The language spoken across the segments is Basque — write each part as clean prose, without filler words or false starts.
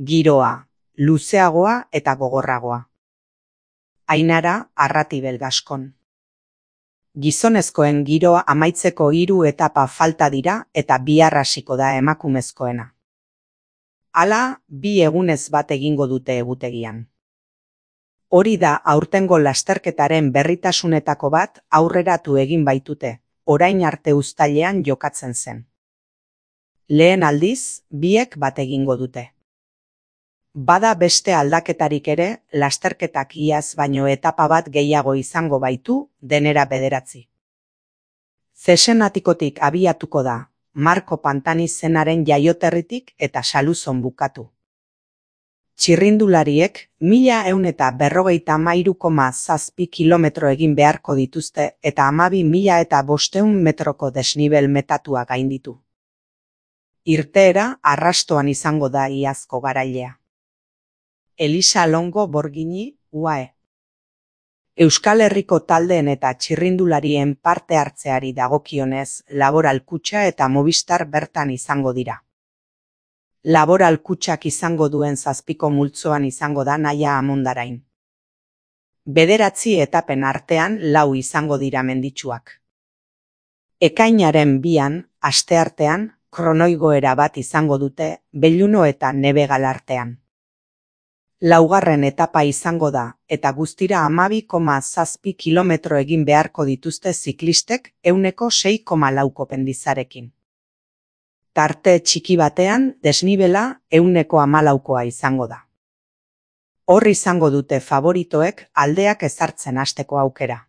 Giroa, luzeagoa eta gogorragoa. Ainara Arratibel Gaskon. Gizonezkoen giroa amaitzeko 3 etapa falta dira eta bihar hasiko da emakumezkoena. Hala, 2 egunez bat egingo dute egutegian. Hori da aurtengo lasterketaren berritasunetako bat aurreratu egin baitute, orain arte uztailean jokatzen zen. Lehen aldiz, biek bat egingo dute. Bada beste aldaketarik ere, lasterketak iaz baino etapa bat gehiago izango baitu, denera 9. Zesenatikotik abiatuko da, Marko Pantani zenaren jaioterritik eta Saluzon bukatu. Txirrindulariek 1153,7 kilometro egin beharko dituzte eta 12.500 metroko desnibel metatua gainditu. Irteera arrastoan izango da iazko garailea. Elisa Longo Borgini, UAE. Euskal Herriko taldeen eta txirrindularien parte hartzeari dagokionez, Laboral Kutxa eta Movistar bertan izango dira. Laboral Kutxak izango duen 7. multzoan izango da Naia Amondarain. 9 etapen artean 4 izango dira menditsuak. Ekainaren 2an, asteartean, kronoigoera bat izango dute Belluno eta Nebegal artean. 4. etapa izango da, eta guztira 12,7 kilometro egin beharko dituzte ziklistek 6,4 kopendizarekin. Tarte txiki batean, desnibela 14,4 izango da. Hor izango dute favoritoek aldeak ezartzen hasteko aukera.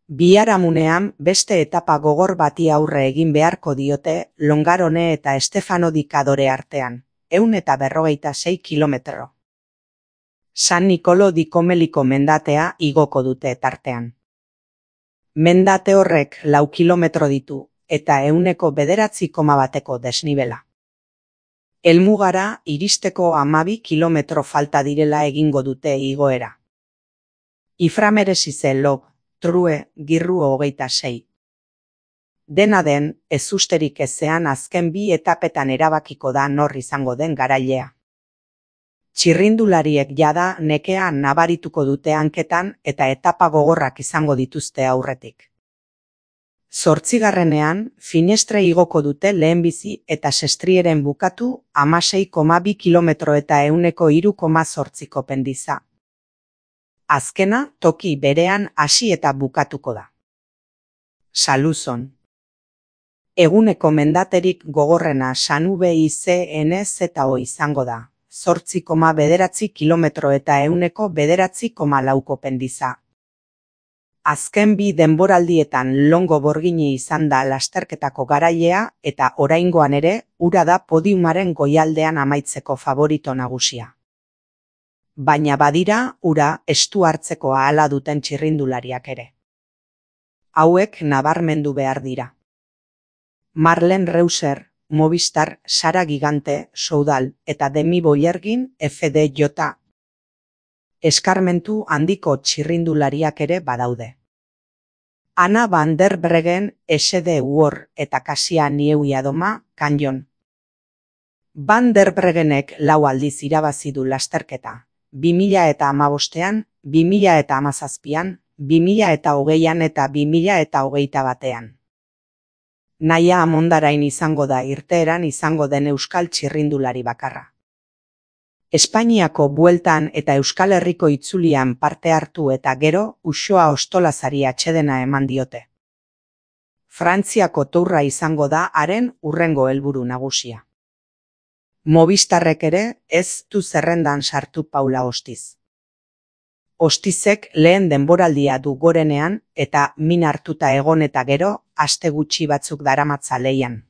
Biharamunean beste etapa gogor bati aurre egin beharko diote Longarone eta Estefano di Cadore artean, 156 kilometro. San Nicolo di Comeliko mendatea igoko dute tartean. Mendate horrek 4 kilometro ditu eta 9,1 desnibela. Helmugara iristeko 12 kilometro falta direla egingo dute igoera. Iframeresize Lob, True, Girru 26. Dena den, ezusterik ezean azken 2 etapetan erabakiko da nor izango den garailea. Txirrindulariek jada nekea nabarituko dute hanketan eta etapa gogorrak izango dituzte aurretik. 8. Finestre igoko dute lehenbizi eta Sestrieren bukatu 16,2 kilometro eta 103,8 kopendiza. Azkena toki berean hasi eta bukatuko da. Saluzon. Eguneko mendaterik gogorrena Sanube-ICNZO izango da. 8,9 kilometro eta 109,4 kopendiza. Azken 2 denboraldietan Longo Borgini izan da lasterketako garailea eta oraingoan ere ura da podiumaren goialdean amaitzeko favorito nagusia. Baina badira ura estu hartzeko ahala duten txirrindulariak ere. Hauek nabarmendu behar dira. Marlen Reuser, Movistar, Sara Gigante, Soudal eta Demi Boyergin FDJ. Eskarmentu handiko txirrindulariak ere badaude. Anna van der Breggen, SD War eta Kasia Nieuwiadoma, Canyon. Van der Breggenek 4 aldiz irabazi du lasterketa. 2015an, 2017an, 2020an eta 2021an. Naia Amondarain izango da irteeran izango den euskal txirrindulari bakarra. Espainiako bueltan eta Euskal Herriko itzulian parte hartu eta gero Uxoa Ostolazari atsedena eman diote. Frantziako tourra izango da haren hurrengo helburu nagusia. Movistarrek ere ez du zerrendan sartu Paula Ostiz. Ostizek lehen denboraldia du gorenean eta min hartuta egon eta gero aste gutxi batzuk daramatza leian.